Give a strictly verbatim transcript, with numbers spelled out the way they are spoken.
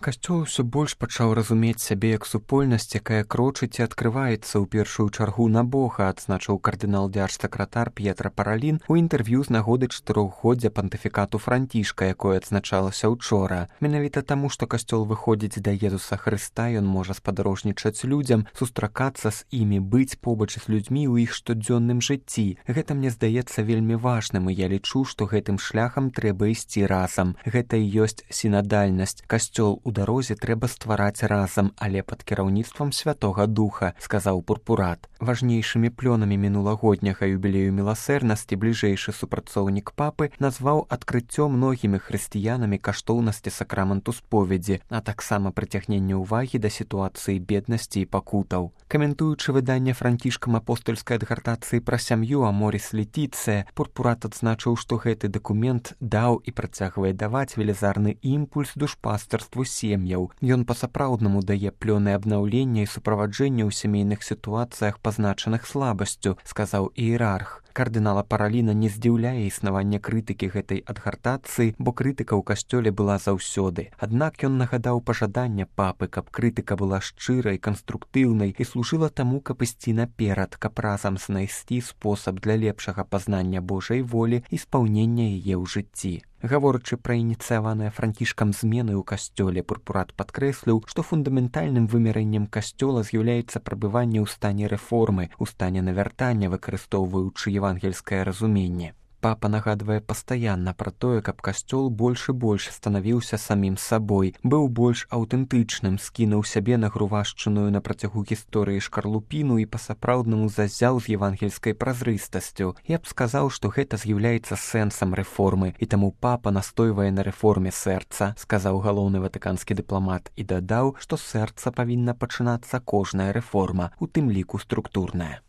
Касцёл усё больш пачаў разумець сябе як супольнасць, якая крочыць і адкрываецца ў першую чаргу на Бога, адзначыў кардынал-дзярж-сакратар П'етра Паралін у інтэрв'ю з нагоды чатырохгоддзя пантыфікату Францішка, якое адзначалася учора. Менавіта таму, што касцёл выходзіць да Езуса Хрыста, ён можа спадарожнічаць людзям, сустракацца з імі, быць побач з людзьмі ў іх штодзённым жыцці. Гэта мне здаецца вельмі важным, і я лічу, што гэтым шляхам трэба ісці разам. Гэта і ёсць сінадальнасць. Касцёл у дарозе трэба ствараць разам, але пад кіраўніцтвам Святога Духа, сказаў пурпурат. Важнейшымі плёнамі мінулагодняга юбілею міласэрнасці бліжэйшы супрацоўнік папы назваў адкрыццё многімі хрысціянамі каштоўнасці сакраменту споведзі, а таксама прыцягненне ўвагі да сітуацыі беднасці і пакутаў. Каментуючы выданне Францішкам апостольскай адгартацыі пра сям'ю Аморіс Летіцыя, пурпурат адзначыў, што гэты дакумент даў і працягвае даваць велізарны імпульс душпастарству сем'яў. Ён па-сапраўднаму дае плёны абнаўлення і суправаджэння ў сямейных сітуацыях, пазначаных слабасцю, сказаў іерарх. Кардынала Параліна не здзіўляе існаванне крытыкі гэтай адгартацыі, бо крытыка ў касцёле была заўсёды. Аднак ён нагадаў пажаданне папы, каб крытыка была шчырай, канструктыўнай і служыла таму, каб ісці наперад, каб разам знайсці спосаб для лепшага пазнання Божай волі і спаўнення яе ў жыцці. Гаворачы пра ініцыяваныя Францішкам змены ў касцёле, пурпурат падкрэсліў, што фундаментальным вымярэннем касцёла з'яўляецца прабыванне ў стане рэформы, у стане навяртання, выкарыстоўваючы евангельскае разуменне. Папа нагадвае пастаянна пра тое, каб касцёл больш і больш станавіўся самім сабой, быў больш аўтэнтычным, скінуў сябе нагрувашчаную на працягу гісторыі шкарлупіну і па-сапраўднаму зазяў з евангельскай празрыстасцю. Я б сказаў, што гэта з'яўляецца сэнсам рэформы, і таму папа настойвае на рэформе сэрца, сказаў галоўны ватыканскі дыпламат і дадаў, што з сэрца павінна пачынацца кожная рэформа, у тым ліку структурная.